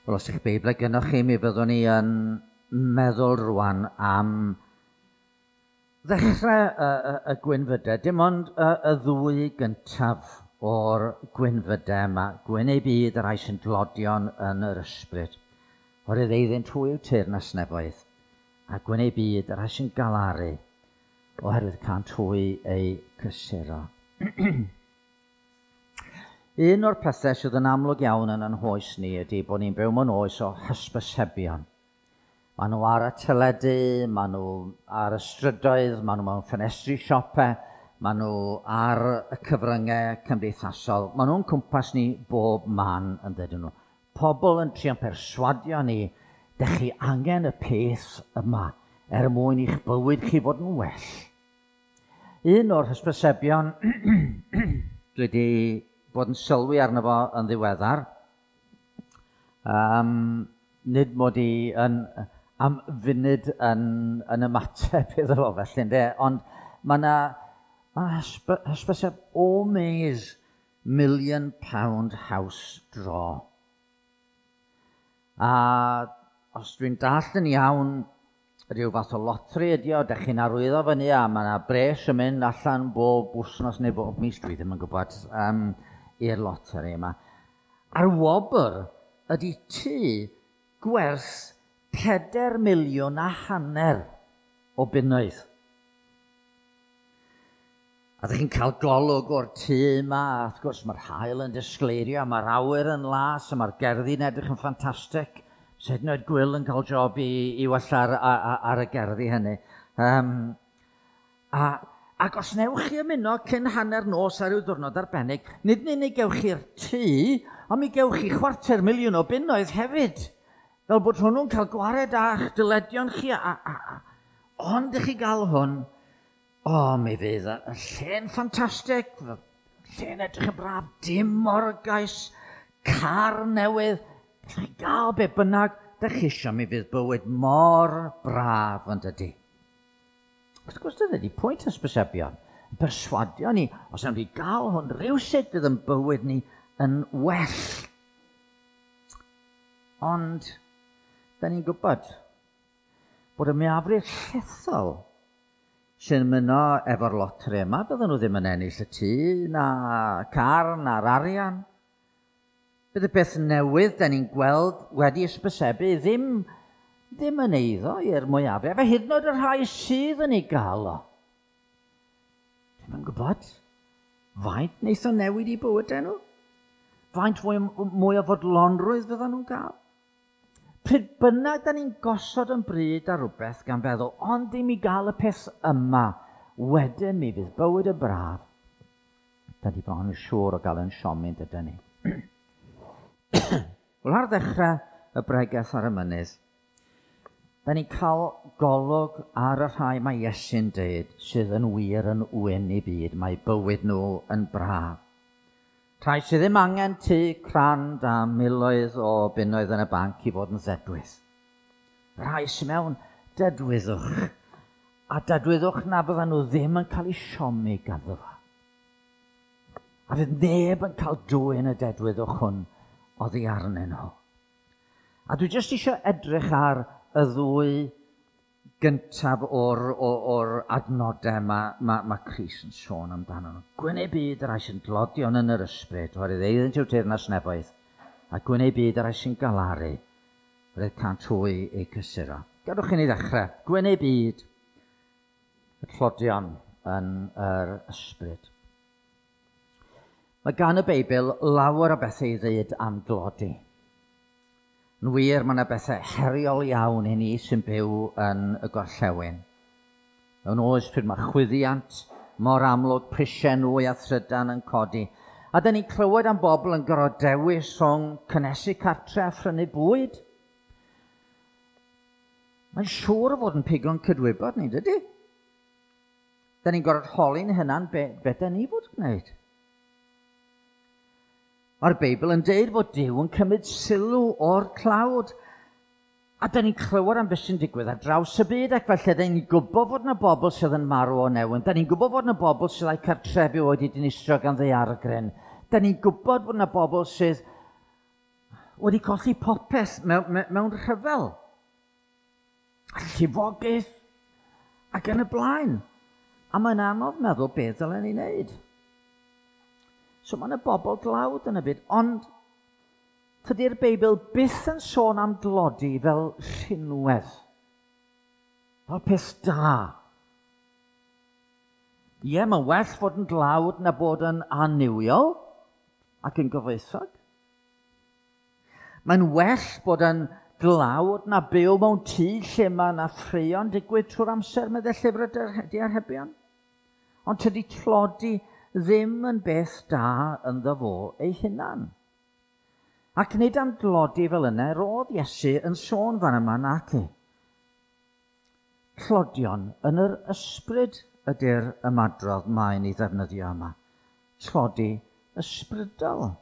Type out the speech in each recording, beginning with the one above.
Wel, os ych Beibl gynnwch chi, mi fyddwn ni yn meddwl rwan am ddechrau y gwynfydau, dim ond y ddwy gyntaf o'r gwynfydau yma, gwyn eu byd y rhai sy'n dlodion yn yr ysbryd, oherwydd eiddynt hwy yw teyrnas nefoedd, a gwyn eu byd y rhai sy'n galaru, oherwydd cânt hwy eu cysuro. Un o'r pethau sydd yn amlwg iawn yn ein hoes ni ydy bod ni'n byw mewn oes o hysbysebion. Maen nhw ar y teledu, maen nhw ar y strydoedd, maen nhw mewn ffenestri siopau, maen nhw ar y cyfryngau cymdeithasol. Maen nhw'n cwmpas ni bob man yn dydyn nhw. Pobl yn trio perswadio ni, dych chi angen y peth yma er mwyn i'ch bywyd chi fod yn well. Un o'r hysbysebion dwi wedi bod yn sylwi arno fo yn ddiweddar. Nid mod i yn, am funud yn ymateb iddo fo felly, ynde? Ond mae yna hysbyseb Omaze Million Pound House Draw. A os dwi'n dallt yn iawn, rhyw fath o lotri ydi o, dych chi'n arwyddo fyny a mae yna bres yn mynd allan bob wythnos neu bob mis, dwi ddim yn gwybod, i'r loteri yma. A'r wobr ydy tŷ gwerth 4.5 miliwn o bunnoedd. A ddych chi'n cael golwg o'r tŷ yma, a wrth gwrs mae'r haul yn disgleirio, mae'r awyr yn las, a mae'r gerddi'n edrych yn ffantastig. Sut hyd yn oed Gwyl yn cael job i wella ar y gerddi hynny. Ac os newch chi ymuno cyn hanner nos ar ryw ddiwrnod arbennig, nid yn unig gewch chi'r tŷ, ond mi gewch chi 250,000 o bunnoedd hefyd. Fel bod hwnnw'n cael gwared â'ch dyledion chi. Ond ych chi gael hwn, o, mi fydd y lle'n ffantastig, lle'n edrych yn braf, dim morgais, car newydd, chi gael be bynnag, dych chi isio, mi fydd bywyd mor braf yn dydy. Wrth gwrs, dyna ydy pwynt hysbysebion, yn perswadio ni, os nawn ni gael hwn rhywsut fydd yn bywyd ni yn well. Ond, da ni'n gwybod bod y mwyafrif llethol sy'n ymuno efo'r loteri yma, bydden nhw ddim yn ennill y tŷ, na car, na'r arian. Bydd y beth newydd da ni'n gweld wedi hysbysebu ddim yn eiddo i'r mwyafrif, a hyd yn oed y rhai sydd yn ei gael o. Dwi'm yn gwybod faint wneith o newid i bywydau nhw? Faint mwy o fodlonrwydd fyddan nhw'n gael? Pryd bynnag da ni'n gosod yn bryd ar rhywbeth gan feddwl, ond ddim i gael y peth yma, wedyn mi fydd bywyd yn braf. Da ni bron yn siŵr o gael yn siomi, dydyn ni. Wel, ar ddechrau y bregeth ar y mynydd, da ni'n cael golwg ar y rhai mae Iesu'n deud sydd yn wir yn wyn i byd, mae bywyd nhw yn braf. Rhai sydd ddim angen tŷ crand a miloedd o bunnoedd yn y banc i fod yn ddedwydd. Rhai sydd mewn dedwyddwch, a dedwyddwch na byddan nhw ddim yn cael eu siomi ganddo fo. A fydd neb yn cael dwyn y dedwyddwch hwn oddi arnyn nhw. A dwi jyst eisiau edrych ar y ddwy gyntaf o'r adnodau mae Crist yn sôn amdano nhw. Gwyn eu byd y rhai sy'n dlodion yn yr ysbryd, oherwydd eiddynt yw teyrnas nefoedd, a gwyn eu byd y rhai sy'n galaru, oherwydd cânt hwy eu cysuro. Gadwch i ni ddechrau. Gwyn eu byd y tlodion yn yr ysbryd. Mae gan y Beibl lawer o bethau i ddweud am dlodi. Yn wir, mae yna bethau heriol iawn i ni sy'n byw yn y gorllewin. Mewn oes pryd mae chwyddiant mor amlwg, prisiau nwy a thrydan yn codi. A da ni'n clywed am bobl yn gorfod dewis rhwng cynhesu cartre a phrynu bwyd. Mae'n siŵr o fod yn pigo'n cydwybod ni, dydy? Da ni'n gorfod holi'n hunan be da ni fod gwneud. Mae'r Beibl yn deud fod Duw yn cymryd sylw o'r tlawd. A da ni'n clywed am beth sy'n digwydd ar draws y byd, ac felly da ni'n gwybod fod yna bobl sydd yn marw o newyn. Da ni'n gwybod fod yna bobl sydd â'u cartrefi wedi dinistrio gan ddaeargryn. Da ni'n gwybod fod yna bobl sydd wedi colli popeth mewn rhyfel, llifogydd, ac yn y blaen. A mae'n anodd meddwl beth ddylen ni wneud. So mae yna bobl dlawd yn y byd, ond tydi'r Beibl byth yn sôn am dlodi fel rhinwedd, fel peth da. Ie, mae'n well fod yn dlawd na bod yn annuwiol ac yn gyfoethog. Mae'n well bod yn dlawd na byw mewn tŷ lle mae yna ffraeon digwydd trwy'r amser, meddai llyfr y diarhebion. Ond tydi tlodi ddim yn beth da ynddo fo ei hunan. Ac nid am dlodi fel yna, roedd Iesu yn sôn fan yma nac i. Tlodion yn yr ysbryd ydy'r ymadrodd mae'n ei ddefnyddio yma. Tlodi ysbrydol.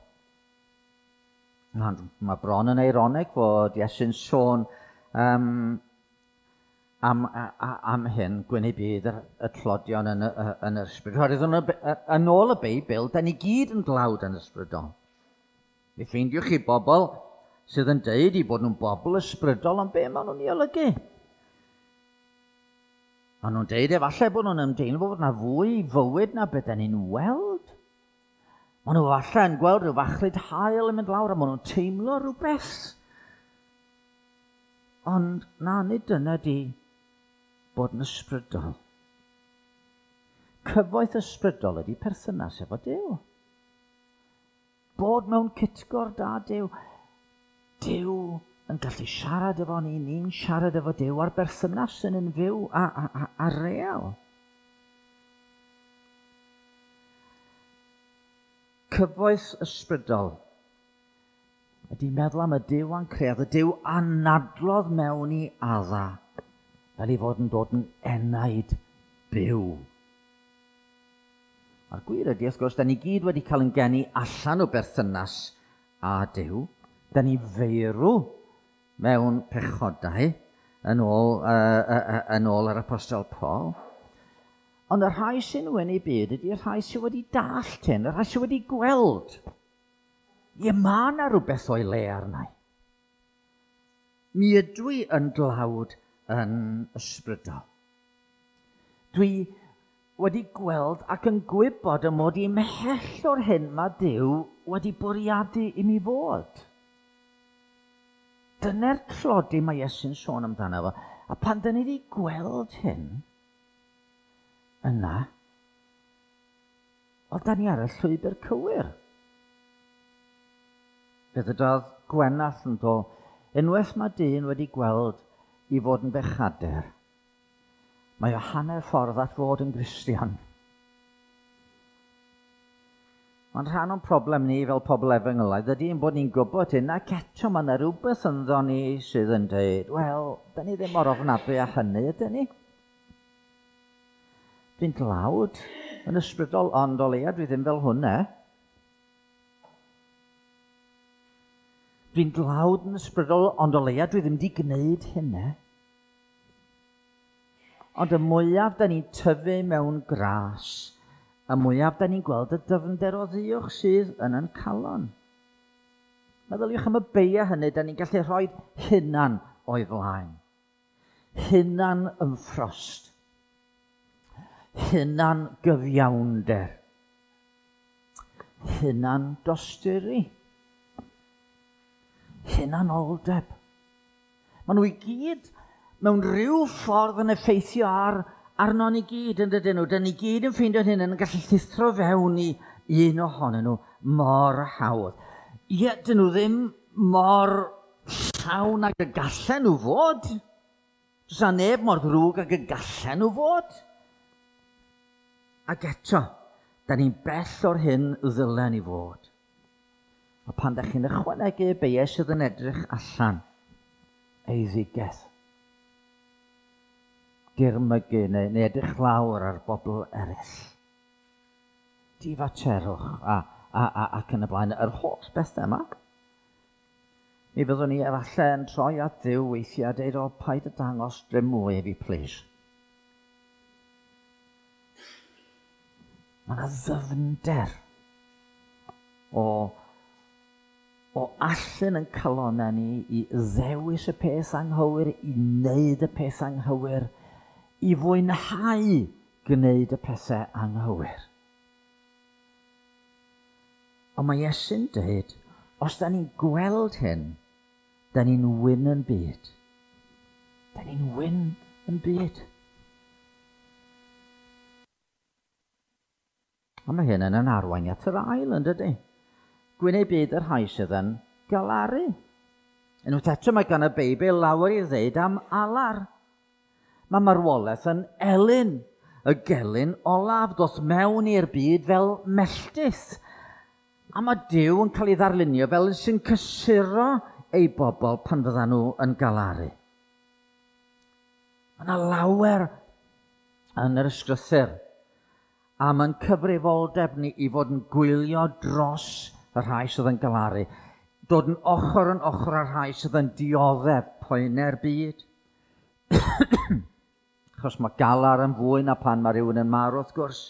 Mae bron yn eironig fod Iesu'n sôn am hyn, gwyn eu byd y tlodion yn yr ysbryd. Oherwydd yn ôl y Beibl, da ni gyd yn dlawd yn ysbrydol. Mi ffeindiwch chi bobl sydd yn deud i bod nhw'n bobl ysbrydol, ond be maen nhw'n ei olygu? Maen nhw'n deud efallai bod nhw'n ymdeimlo bod yna fwy fywyd na beth da ni'n weld. Maen nhw falle yn gweld rhyw fachlud haul yn mynd lawr a maen nhw'n teimlo rhywbeth. Ond na, nid dyna di bod yn ysbrydol. Cyfoeth ysbrydol ydy perthynas efo Duw. Bod mewn cytgord â Duw. Duw yn gallu siarad efo ni, ni'n siarad efo Duw a'r berthynas yn yn fyw a real. Cyfoeth ysbrydol ydy meddwl am y Duw a'n creodd, y Duw anadlodd mewn i Adda, fel ei fod yn dod yn enaid byw. A'r gwir ydy, wrth gwrs, da ni gyd wedi cael yn geni allan o berthynas â Duw. Da ni feirw mewn pechodau, yn ôl yr Apostol Paul. Ond y rhai sy'n wyn eu byd ydy'r rhai sydd wedi dallt hyn, y rhai sydd wedi gweld. Ie, mae yna rhywbeth o'i le arna i. Mi ydw i yn dlawd yn ysbrydol. Dwi wedi gweld ac yn gwybod y mod i ymhell o'r hyn mae Duw wedi bwriadu i mi fod. Dyna'r tlodi mae Iesu'n sôn amdano fo. A pan dyn ni wedi gweld hyn, yna, wel, da ni ar y llwybr cywir. Fe ddydodd Gwenallt yn do, unwaith mae dyn wedi gweld i fod yn bechadur, mae o hanner ffordd at fod yn Gristion. Mae'n rhan o'n problem ni fel pobl efengylaidd ydy ein bod ni'n gwybod hyn, ac eto mae yna rhywbeth ynddo ni sydd yn dweud, wel, da ni ddim mor ofnadwy â hynny, ydyn ni? Dwi'n dlawd yn ysbrydol, ond o leia dwi ddim fel hwnna. Dwi'n dlawd yn ysbrydol, ond o leia dwi ddim wedi gwneud hynna. Ond y mwyaf da ni'n tyfu mewn gras, y mwyaf da ni'n gweld y dyfnder o ddiwch sydd yn ein calon. Meddyliwch am y beia hynny, da ni'n gallu rhoi hunan o'i flaen. Hunan ymffrost. Hunan gyfiawnder. Hunan dosturi. Hunanoldeb. Maen nhw i gyd mewn rhyw ffordd yn effeithio arno ni gyd, yn dydyn nhw. Dyn ni gyd yn ffeindio'n hyn yn gallu llithro fewn i un ohonyn nhw mor hawdd. Ie, dyn nhw ddim mor llawn ag y gallen nhw fod. Does 'na neb mor ddrwg ag y gallen nhw fod. Ac eto, da ni'n bell o'r hyn ddylen ni fod. A pan da chi'n ychwanegu y beiau sydd yn edrych allan, eiddigedd, dirmygu neu edrych lawr ar bobl eraill, difaterwch ac yn y blaen, yr holl bethau yma. Mi fyddwn ni efallai yn troi at Dduw weithiau a deud, o, paid y dangos drym mwy i fi, please. Mae yna ddyfnder o o allan yn calonau ni i ddewis y peth anghywir, i wneud y peth anghywir, i fwynhau gwneud y pethau anghywir. Ond mae Iesu'n dweud, os da ni'n gweld hyn, da ni'n wyn yn byd. Da ni'n wyn yn byd. A mae hyn yn arwain at yr ail, yn dydy? Gwyn eu byd y rhai sydd yn galaru. Unwaith eto mae gan y Beibl lawer i ddeud am alar. Mae marwolaeth yn elyn, y gelyn olaf, dos mewn i'r byd fel melltith. A mae Duw yn cael ei ddarlunio fel sy'n cysuro ei bobl pan fyddan nhw yn galaru. Mae yna lawer yn yr ysgrythur a mae'n cyfrifoldeb ni i fod yn gwylio dros y rhai sydd yn galaru, dod yn ochr â'r rhai sydd yn dioddef poenau'r byd. Achos mae galar yn fwy na pan mae rhywun yn marw, wrth gwrs.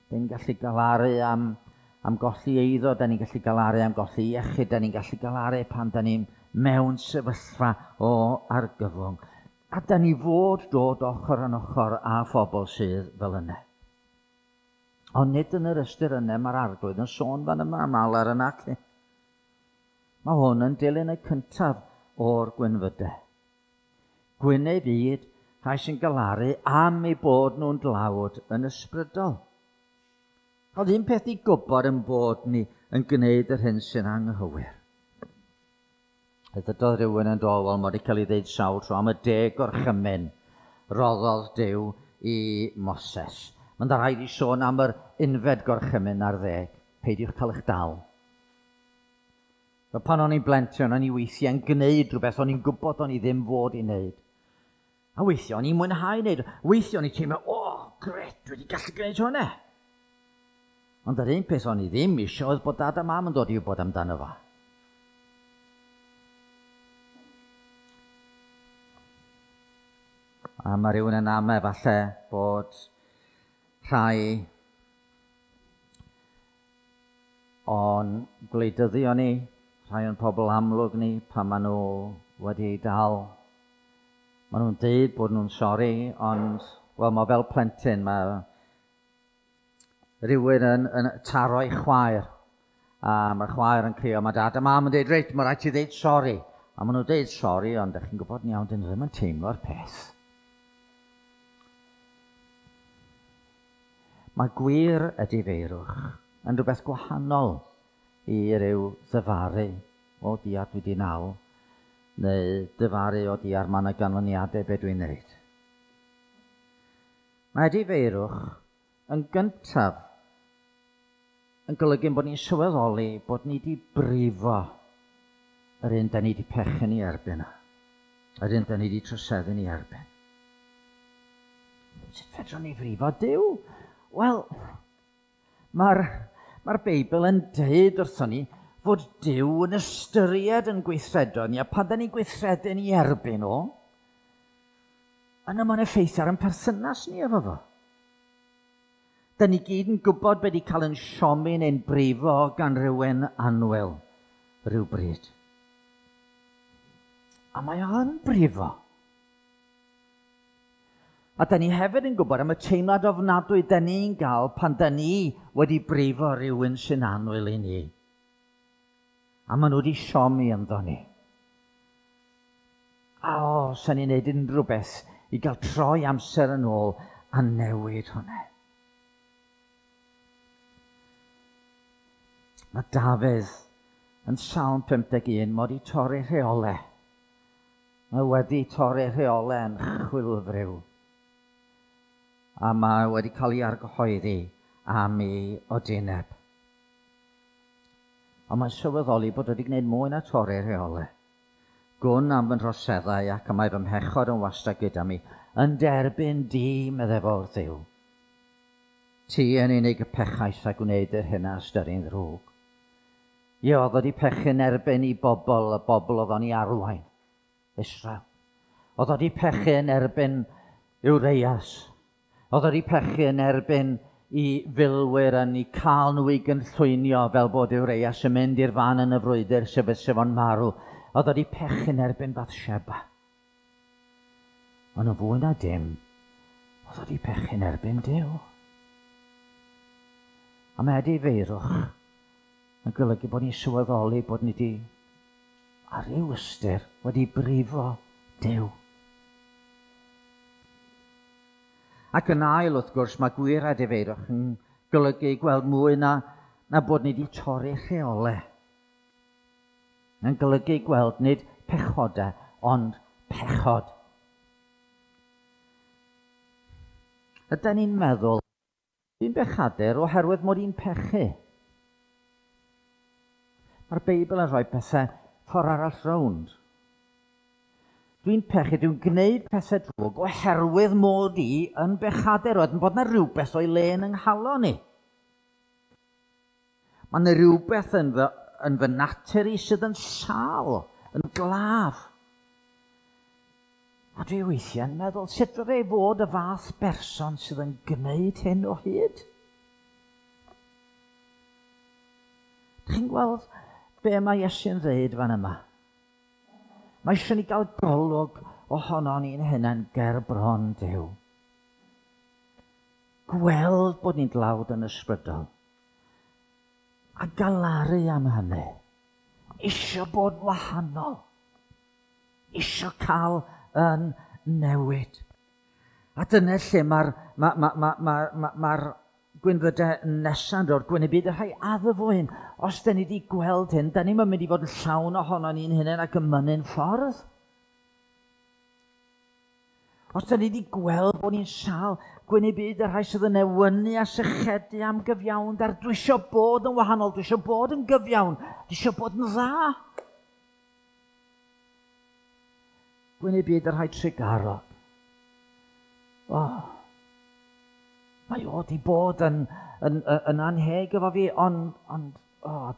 Da ni'n gallu galaru am golli eiddo, da ni'n gallu galaru am golli iechyd, da ni'n gallu galaru pan da ni'n mewn sefyllfa o argyfwng. A da ni fod dod ochr yn ochr â phobl sydd fel yna. Ond nid yn yr ystyr yna mae'r Arglwydd yn sôn fan yma am alar yna. Mae hwn yn dilyn y cyntaf o'r gwynfydau. Gwyn eu byd, rhai sy'n galaru am eu bod nhw'n dlawd yn ysbrydol. Oedd un peth i gwybod yn bod ni yn gwneud yr hyn sy'n anghywir. Ddydodd rhywun yn dod, wel, mae wedi cael ei ddeud sawl tro am y 10 gorchymyn roddodd Duw i Moses. Mae'n rhaid i sôn am yr 11 gorchymyn ar 10. Peidiwch cael eich dal. Fel pan o'n i'n blentyn, o'n i weithiau'n gwneud rhywbeth o'n i'n gwybod o'n i ddim fod i wneud. A weithiau o'n i'n mwynhau wneud. Weithiau o'n i'n teimlo, o, gret, dwi wedi gallu gwneud hwnna. Ond yr un peth o'n i ddim eisiau oedd bod dad a mam yn dod i wybod amdano fo. A mae rhywun yn amau falle bod rhai o'n gwleidyddion ni, rhai o'n pobl amlwg ni, pan maen nhw wedi eu dal. Maen nhw'n deud bod nhw'n sori, ond, wel, mae fel plentyn, mae rhywun yn taro ei chwaer, a mae'r chwaer yn crio, mae dad a mam yn deud, reit, mae rhaid ti ddeud sori. A maen nhw'n deud sori, ond ydych chi'n gwybod yn iawn, dyn nhw ddim yn teimlo'r peth. Mae gwir edifeirwch yn rhywbeth gwahanol i ryw ddyfaru o diar dwi wedi nal, neu dyfaru o diar mae yna ganlyniadau be dwi'n wneud. Mae edifeirwch yn gyntaf yn golygu bod ni'n sylweddoli bod ni wedi brifo yr un da ni wedi pechu ni erbyn, yr un da ni wedi troseddu ni erbyn. Sut fedrwn ni frifo Duw? Wel, mae'r Beibl yn deud wrthon ni fod Duw yn ystyried yn gweithredoedd ni, a pan da ni'n gweithredu ni erbyn o, yna mae'n effeithio ar ein perthynas ni efo fo. Da ni gyd yn gwybod beth i cael yn siomi neu'n brifo gan rhywun annwyl rhywbryd. A mae o'n brifo. A da ni hefyd yn gwybod am y teimlad ofnadwy da ni'n gael pan da ni wedi brifo rhywun sy'n annwyl i ni. A maen nhw wedi siomi ynddo ni. A o, sa'n ni'n neud unrhyw beth i gael troi amser yn ôl a newid hwnna. Mae Dafydd yn Salm 51 mod i torri rheolau. Mae wedi torri rheolau yn chwilfriw. A mae wedi cael ei argyhoeddi am ei odineb. Ond mae'n sylweddoli bod wedi gwneud mwy na torri rheolau. Gwn am fy nhroseddau ac y mae fy mhechod yn wastad gyda mi, yn derbyn di, meddai fo wrth Dduw. Ti yn unig y pechais a gwneud yr hyn a ystyri'n ddrwg. Ie, oedd wedi pechu'n erbyn i bobl, y bobl oedd o'n i arwain, Israel. Oedd wedi pechu'n erbyn Ureias. Oedd wedi pechu yn erbyn i filwyr yn ei cael nhw i gynllwynio fel bod Urias yn mynd i'r fan yn y frwydr sef fo'n marw. Oedd o wedi pechu'n erbyn Bathsheba. Ond yn fwy na dim, oedd o wedi pechu'n erbyn Duw. A mae edifeirwch yn golygu bod ni'n sylweddoli bod ni wedi, ar ryw ystyr, wedi brifo Duw. Ac yn ail, wrth gwrs, mae gwir edifeirwch yn golygu gweld mwy na bod ni wedi torri rheolau. Yn golygu gweld nid pechodau, ond pechod. Ydy ni'n meddwl, dwi'n bechadur oherwydd mod i'n pechu. Mae'r Beibl yn rhoi pethau ffordd arall rownd. Dwi'n pechu, dwi'n gwneud pethau drwg oherwydd mod i yn bechadur, oedd yn bod yna rhywbeth o'i le yn nghalon i. Mae yna rhywbeth yn fy natur i sydd yn sâl, yn glaf. A dwi weithiau'n meddwl, sut fydde i fod y fath berson sydd yn gwneud hyn o hyd? Chi'n gweld be mae Iesu'n dweud fan yma? Mae eisiau ni gael golwg ohono ni'n hunain ger bron Duw. Gweld bod ni'n dlawd yn ysbrydol. A galaru am hynny. Isio bod wahanol. Isio cael yn newid. A dyna lle mae'r gwynfydau nesa'n dod, gwyn y byd y rhai addfwyn. Os da ni wedi gweld hyn, da ni'n mynd i fod yn llawn ohono ni'n hunain ac yn mynnu'n ffordd. Os da ni wedi gweld bod ni'n sâl, gwyn y byd y rhai sydd yn newynu a sychedu am gyfiawnder. Dwi eisiau bod yn wahanol, dwi eisiau bod yn gyfiawn, dwi eisiau bod yn dda. Gwyn y byd y rhai trugarog. Oh, mae o wedi bod yn anheg efo fi, ond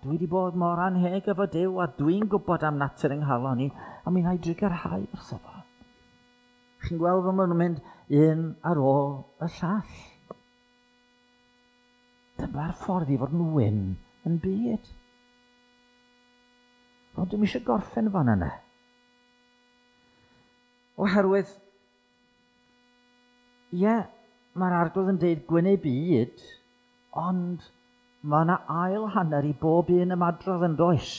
dwi wedi bod mor anheg efo Duw, a dwi'n gwybod am natur yng nghalon i, a mi wna i drugarhau wrtho fo. Chi'n gweld fel maen nhw'n mynd un ar ôl y llall. Dyma'r ffordd i fod yn wyn yn byd. Ond dwi'm eisiau gorffen fan yna. Oherwydd, ie, mae'r Arglwydd yn dweud gwyn ei byd, ond mae yna ail hanner i bob un ymadrodd yn does.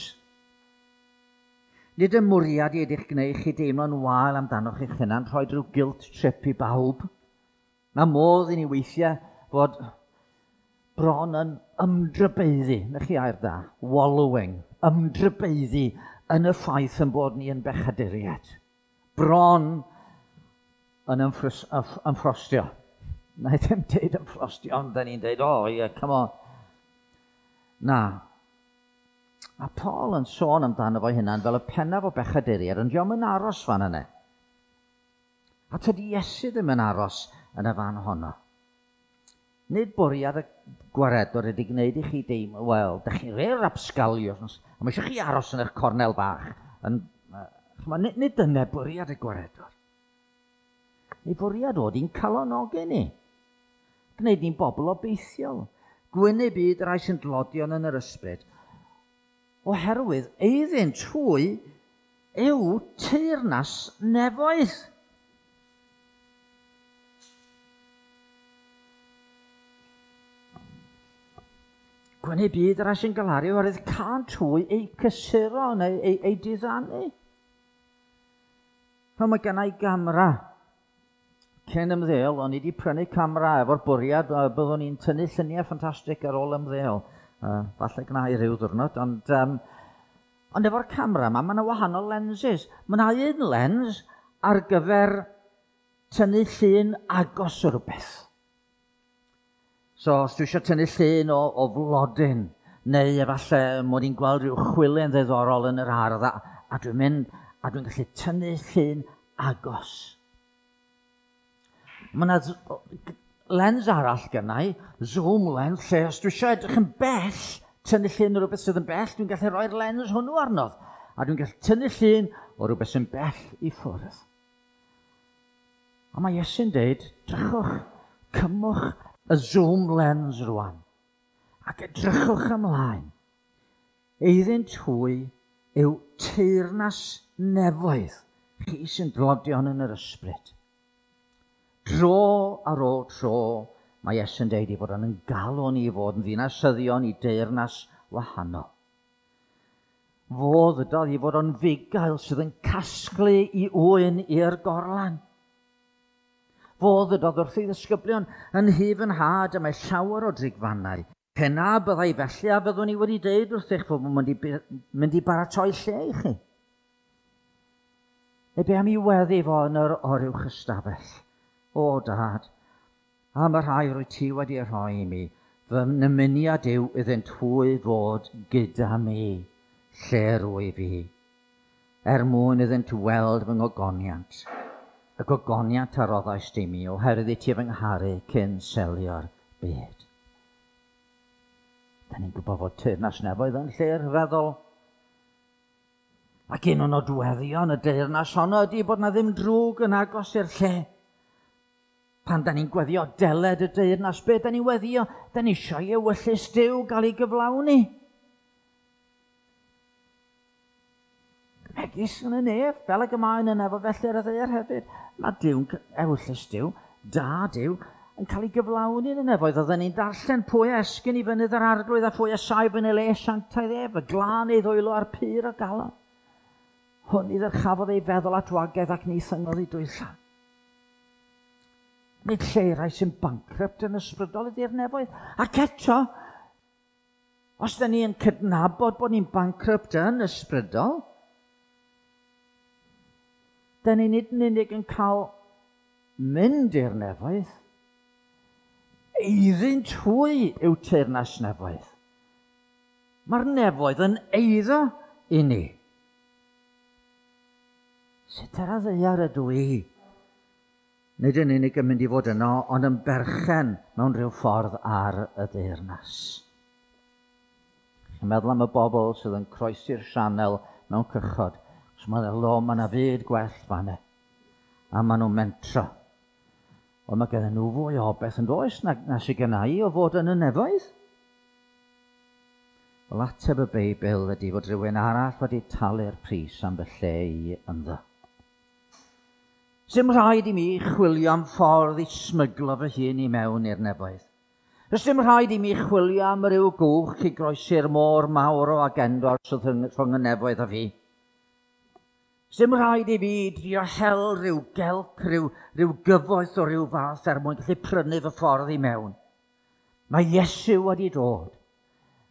Nid y mwriad i ydych gwneud chi deimlo'n wael amdanoch eich hunan, rhoi rhyw guilt trip i bawb. Mae modd i ni weithiau fod bron yn ymdrybeiddi, na chi air da, wallowing, ymdrybeiddi yn y ffaith yn bod ni yn bechaduriaid. Bron yn ymffrostio. Na i ddim deud ymffrostio, ond da ni'n deud, oh yeah, come on. Na. Mae Paul yn sôn amdano fo hunan fel y pennaf o bechaduriaid, ond dio'm yn aros fan yna. A tydi Iesu ddim yn aros yn y fan honno. Nid bwriad y gwaredwr ydy gwneud i chi deimlo, wel, da chi'n rei rapsgalion, a mae eisiau chi aros yn eich cornel bach. Nid dyna bwriad y gwaredwr. Ei fwriad oedd i'n calonogi ni. Gwneud ni'n bobl obeithiol. Gwyn y byd rai sy'n dlodion yn yr ysbryd. Oherwydd eiddynt hwy yw teyrnas nefoedd. Gwyn y byd rai sy'n galaru oherwydd cânt hwy eu cysuro neu eu diddanu. Pan mae gennau gamera. Cyn ymddeol, o'n i wedi prynu camera efo'r bwriad, byddwn i'n tynnu lluniau ffantastig ar ôl ymddeol. Falle gwna i ryw ddiwrnod, ond efo'r camera yma, mae yna wahanol lenses. Mae yna un lens ar gyfer tynnu llun agos o rhywbeth. So, os dwi eisiau tynnu llun o flodyn, neu efallai mod i'n gweld rhyw chwilen ddiddorol yn yr ardd, a dwi'n mynd, a dwi'n gallu tynnu llun agos. Mae yna lens arall gennau, zoom lens, lle os dwi eisiau edrych yn bell, tynnu llun o rhywbeth sydd yn bell, dwi'n gallu rhoi'r lens hwnnw arno. A dwi'n gallu tynnu llun o rhywbeth sy'n bell i ffwrdd. A mae Iesu'n deud, drychwch, cymwch y zoom lens rwan ac edrychwch ymlaen. Eiddynt hwy yw teyrnas nefoedd, chi sy'n dlodion yn yr ysbryd. Dro ar ôl tro, mae Iesu'n deud i fod yn galw ni i fod yn ddinasyddion i deyrnas wahanol. Fo ddydodd i fod o'n fugail sydd yn casglu i ŵyn i'r gorlan. Fo ddydodd wrth ei ddisgyblion yn hyf yn nhad y mae llawer o drigfannau. Pe na byddai felly a byddwn i wedi deud wrthych fod yn mynd i baratoi lle i chi. Neu be am i weddi fo yn yr oruwch ystafell? O dad, am y rhai rwy ti wedi rhoi i mi, fy nymuniad yw iddynt hwy fod gyda mi, lle rwyf fi, er mwyn iddynt weld fy ngogoniant, y gogoniant a roddaist i mi, oherwydd i ti fy ngharu cyn selio'r byd. Da ni'n gwybod fod teyrnas nefoedd yn lle rhyfeddol. Ac un o nodweddion y deyrnas honno ydy bod na ddim drwg yn agos i'r lle. Pan da ni'n gweddio deled y deyrnas, be da ni'n weddio? Da ni eisiau i ewyllys Duw gael ei gyflawni. Megis yn y nef, fel ag y mae yn y nef, felly ar y ddaear hefyd. Mae Duw'n ewyllys Duw, da Duw, yn cael ei gyflawni yn y nefoedd. Oedden ni'n darllen pwy a esgyn i fynydd yr arglwydd a phwy a saif yn ei le sanctaidd ef, y glân ei ddwylo a'r pur o galon. Hwn i ddyrchafodd ei feddwl at wagedd ac ni thyngodd ei dwylla. Nid lle rai sy'n bankrupt yn ysbrydol ydy'r nefoedd. Ac eto, os da ni yn cydnabod bod ni'n bankrupt yn ysbrydol, da ni nid yn unig yn cael mynd i'r nefoedd, eiddynt hwy yw teyrnas nefoedd. Mae'r nefoedd yn eiddo i ni. Sut ar y ddaear ydw i? Nid yn unig yn mynd i fod yno, ond yn berchen mewn rhyw ffordd ar y deyrnas. Chi'n meddwl am y bobl sydd yn croesi'r sianel mewn cychod. Os mae'n lo, mae yna fyd gwell fanna. A maen nhw'n mentro. Ond mae gen nhw fwy o beth yn does na sydd gen i o fod yn y nefoedd. Wel, ateb y Beibl ydy fod rhywun arall wedi talu'r pris am fy lle i ynddo. Sdim rhaid i mi chwilio am ffordd i smyglo fy hun i mewn i'r nefoedd. Does dim rhaid i mi chwilio am ryw gwch i groesi'r môr mawr o agendor sydd rhwng y nefoedd a fi. Sdim rhaid i fi drio hel rhyw gelc, rhyw gyfoeth o ryw fath er mwyn gallu prynu fy ffordd i mewn. Mae Iesu wedi dod.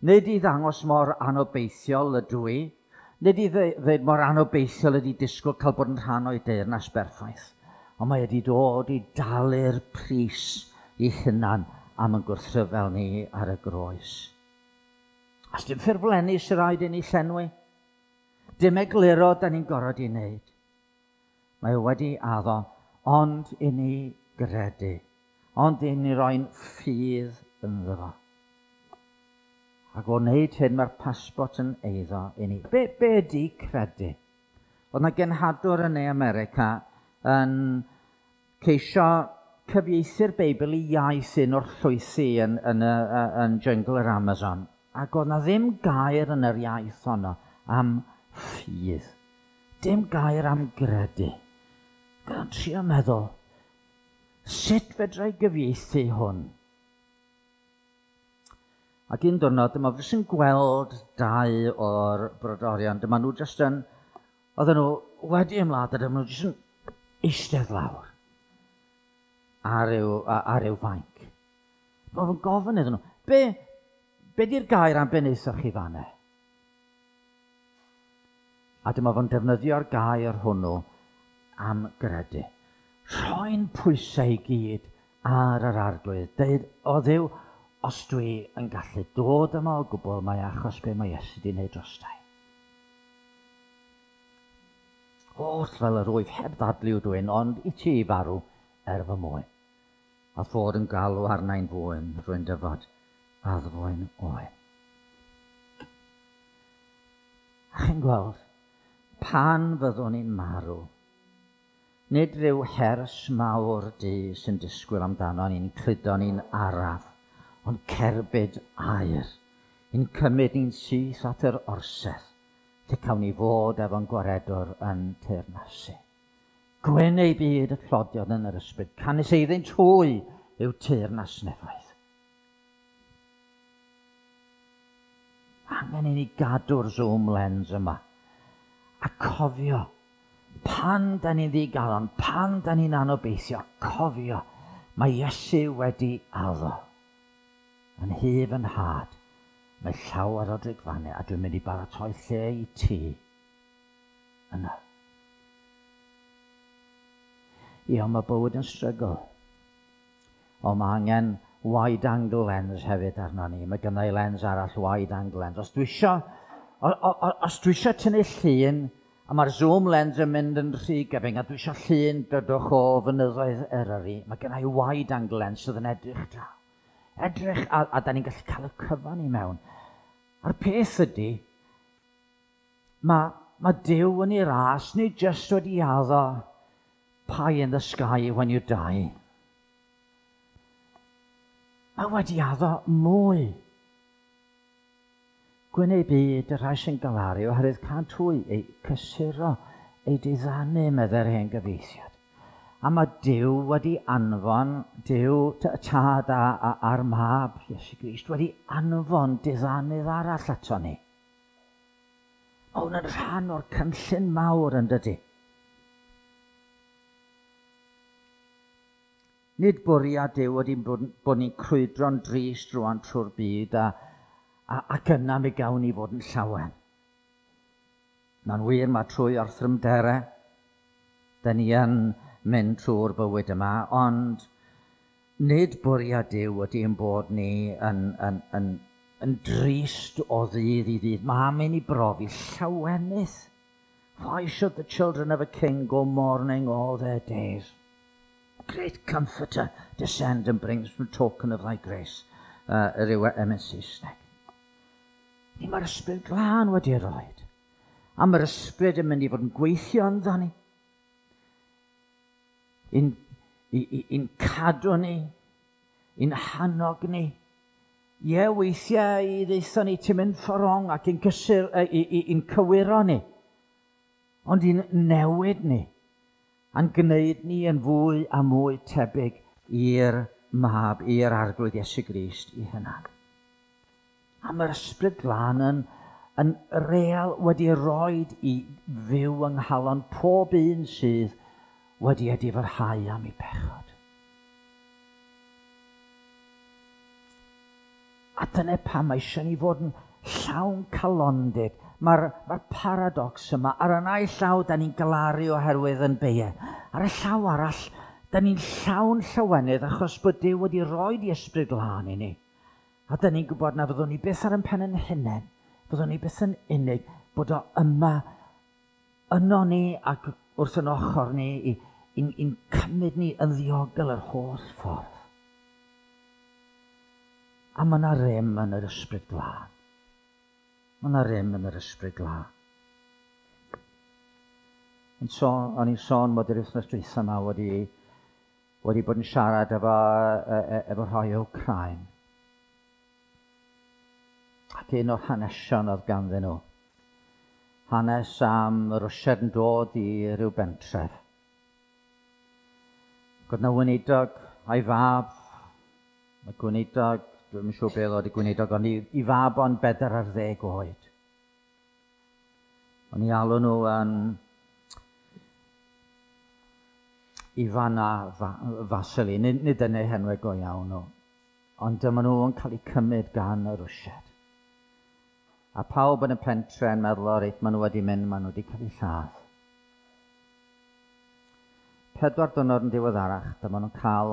Nid i ddangos mor anobeithiol ydw i, nid i ddweud mor anobeithiol ydy disgwyl cael bod yn rhan o'i deyrnas berffaith, ond mae wedi dod i dalu'r pris i hunan am yn gwrthryfel ni ar y groes. A dim ffurflenni sy'n rhaid i ni llenwi. Dim egluro da ni'n gorfod i wneud. Mae wedi addo, ond i ni gredu, ond i ni roi'n ffydd ynddo fo. Ac o wneud hyn, mae'r pasbort yn eiddo i ni. Be ydy credu? Oedd yna genhadwr yn Ne America yn ceisio cyfieithu'r Beibl i iaith un o'r llwythi yn jyngl yr Amazon. Ac oedd yna ddim gair yn yr iaith honno am ffydd. Dim gair am gredu. Gyda'n trio meddwl, sut fedra i gyfieithu hwn? Ac un diwrnod, dyma fi sy'n gweld dau o'r brodorion. Dyma nhw jyst yn, oedden nhw wedi ymladd, a dyma nhw jyst yn eistedd lawr ar ryw fainc. Dyma fo'n gofyn iddyn nhw, be di'r gair am be wnaethoch chi fanna? A dyma fo'n defnyddio'r gair hwnnw am gredu. Rhoi'n pwysau i gyd ar yr arglwydd. Deud, o Dduw, os dwi yn gallu dod yma o gwbl, mae achos be mae Iesu wedi wneud drostai. Oll fel yr wyf heb ddadlu dwi'n, ond i ti farw er fy mwyn. A fod yn galw arnau'n fwyn, rwy'n dyfod addfwyn oen. A chi'n gweld, pan fyddwn ni'n marw, Nid rhyw hers mawr du sy'n disgwyl amdano ni'n cludo ni'n araf, ond cerbyd aur, i'n cymryd ni'n syth at yr orsedd, lle cawn ni fod efo'n gwaredwr yn teyrnasu. Gwyn eu byd y tlodion yn yr ysbryd, canys eiddynt hwy yw teyrnas nefoedd. Angen i ni gadw'r zoom lens yma a cofio pan da ni'n ddigalon, pan da ni'n anobeithio, cofio, mae Iesu wedi addo. Yn nhŷ fy nhad, mae llawer o drigfannau, a dwi'n mynd i baratoi lle i ti yna. Ie, ond mae bywyd yn strygl. Ond mae angen wide angle lens hefyd arno ni. Mae gynna i lens arall, wide angle lens. Os dwi isio tynnu llun, a mae'r zoom lens yn mynd yn rhy gyfyng, a dwi eisiau llun dydwch o fynyddoedd Eryri, mae gynna i wide angle lens sydd yn edrych draw. Edrych, a da ni'n gallu cael y cyfan i mewn. A'r peth ydy, mae Duw yn ei ras, nid jyst wedi addo pie in the sky when you die. Mae wedi addo mwy. Gwyn eu byd y rhai sy'n galaru oherwydd cânt hwy eu cysuro, eu diddanu, meddai'r hen gyfieithiad. A mae Duw wedi anfon, Duw y Tad a'r Mab, Iesu Grist, wedi anfon diddanydd arall ato ni. Mae hwn yn rhan o'r cynllun mawr, yn dydy. Nid bwriad Duw wedi bod ni'n crwydro'n drist rwan trwy'r byd ac yna mi gawn ni fod yn llawen. Mae'n wir, mae trwy orthrymderau, da ni yn mynd trwy'r bywyd yma, ond nid bwriad Duw ydy ein bod ni yn drist o ddydd i ddydd. Mae am i ni brofi llawenydd. Why should the children of a king go mourning all their days? Great comforter, descend and bring some token of thy grace. Yr yw emyn Saesneg. Ni mae'r Ysbryd Glân wedi roed. A mae'r Ysbryd yn mynd i fod yn gweithio ynddo ni. I'n cadw ni, i'n hannog ni. Ie, weithiau i ddeutho ni ti'n mynd ffordd wrong ac i'n cysur, i'n cywiro ni. Ond i'n newid ni. A'n gwneud ni yn fwy a mwy tebyg i'r Mab, i'r Arglwydd Iesu Grist i hunan. A mae'r Ysbryd Glân yn real wedi roed i fyw yng nghalon pob un sydd wedi edifarhau am ei bechod. A dyna pam mae eisiau ni fod yn llawn calondid. Mae'r paradox yma, ar y naill llaw, da ni'n galaru oherwydd yn beiau. Ar y llaw arall, da ni'n llawn llawenydd achos bod Duw wedi roed i Ysbryd Glân i ni. A da ni'n gwybod na fyddwn ni byth ar ein pen yn hunain, fyddwn ni byth yn unig, bod o yma yno ni ac wrth yn ochr ni i'n cymryd ni yn ddiogel yr holl ffordd. A mae yna rym yn yr Ysbryd Glân. Mae yna rym yn yr Ysbryd Glân. O'n i'n sôn bod yr wythnos dwytha yma wedi bod yn siarad efo rhai o Wcráin. Ac un o'r hanesion oedd ganddyn nhw. Hanes am Rwsiad yn dod i ryw bentref. Ac oedd 'na weinidog a'i fab. Mae gweinidog, dwi'm yn siŵr beth oedd y gweinidog, ond i fab o'n 40 oed. O'n i alw nhw yn Ifan a Vasily, nid yn eu henwau go iawn nhw, ond dyma nhw yn cael eu cymryd gan y Rwsiad. A pawb yn y pentre yn meddwl, o reit, maen nhw wedi mynd, maen nhw wedi cael eu lladd. 4 diwrnod yn diweddarach, dyma nhw'n cael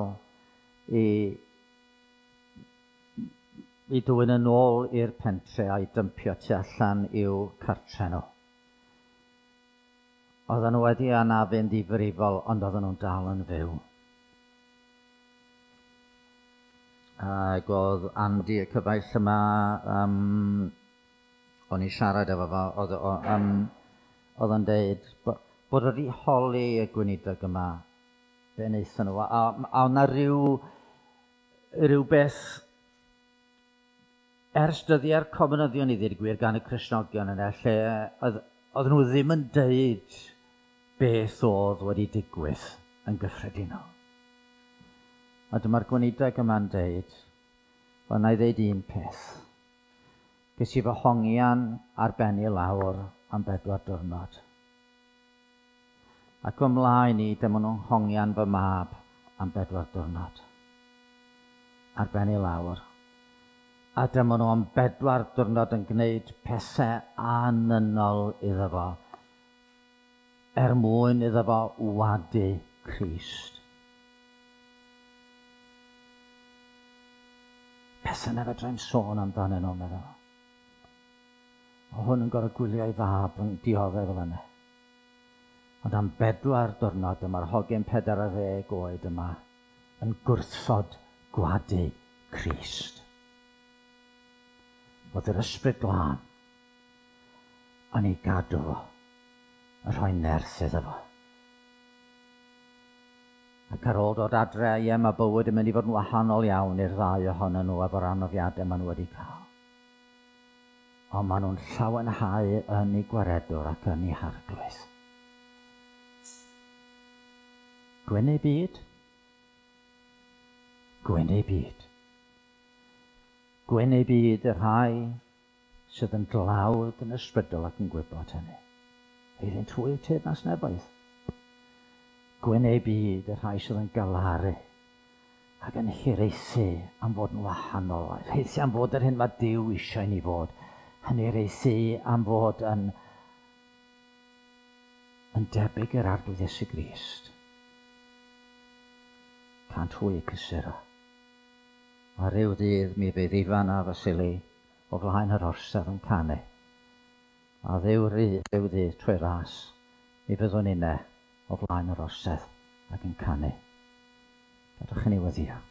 i dwyn yn ôl i'r pentre a'i dympio tu allan i'w cartre nhw. Oedden nhw wedi anafu'n ddifrifol, ond oedden nhw'n dal yn fyw. Ac oedd Andy, y cyfaill yma, o'n i'n siarad efo fo, oedd o'n deud bod wedi holi y gweinidog yma be wnaethon nhw. A o'na rhywbeth ers dyddiau'r comunyddion i ddweud gwir gan y Cristnogion yna, lle oedd nhw ddim yn deud beth oedd wedi digwydd yn gyffredinol. A dyma'r gweinidog yma'n deud, wel, na i ddeud un peth. Ges i fy hongian ar ben i lawr am 4 diwrnod. Ac ymlaen i, dyma nhw'n hongian fy mab am 4 diwrnod. Ar ben i lawr. A dyma nhw am 4 diwrnod yn gwneud pethau anynol iddo fo, er mwyn iddo fo wadu Crist. Pethau na fedrai'm sôn amdanyn nhw, meddwl. O hwn yn gorfod gwylio ei fab yn dioddef fel yna. Ond am 4 diwrnod dyma'r hogyn 40 oed yma yn gwrthod gwadu Crist. Oedd yr Ysbryd Glân yn ei gadw fo, yn rhoi nerth iddo fo. Ac ar ôl dod adre, ie, mae bywyd yn mynd i fod yn wahanol iawn i'r ddau ohonyn nhw efo'r anafiadau maen nhw wedi cael. Ond maen nhw'n llawenhau yn eu gwaredwr ac yn eu harglwydd. Gwyn eu byd. Gwyn eu byd. Gwyn eu byd y rhai sydd yn dlawd yn ysbrydol ac yn gwybod hynny. Iddynt hwy yw teyrnas nefoedd. Gwyn eu byd y rhai sydd yn galaru ac yn hiraethu am fod yn wahanol. Hiraethu am fod yr hyn mae Duw eisiau ni fod. Yn hiraethu am fod yn debyg i'r Arglwydd Iesu Grist. Cant hwy eu cysuro. A ryw ddydd mi fydd Ifan a Vasili o flaen yr orsedd yn canu. A ddyw ryw ddydd trwy ras, mi fyddwn inne o flaen yr orsedd ac yn canu. Gadewch i ni weddïo.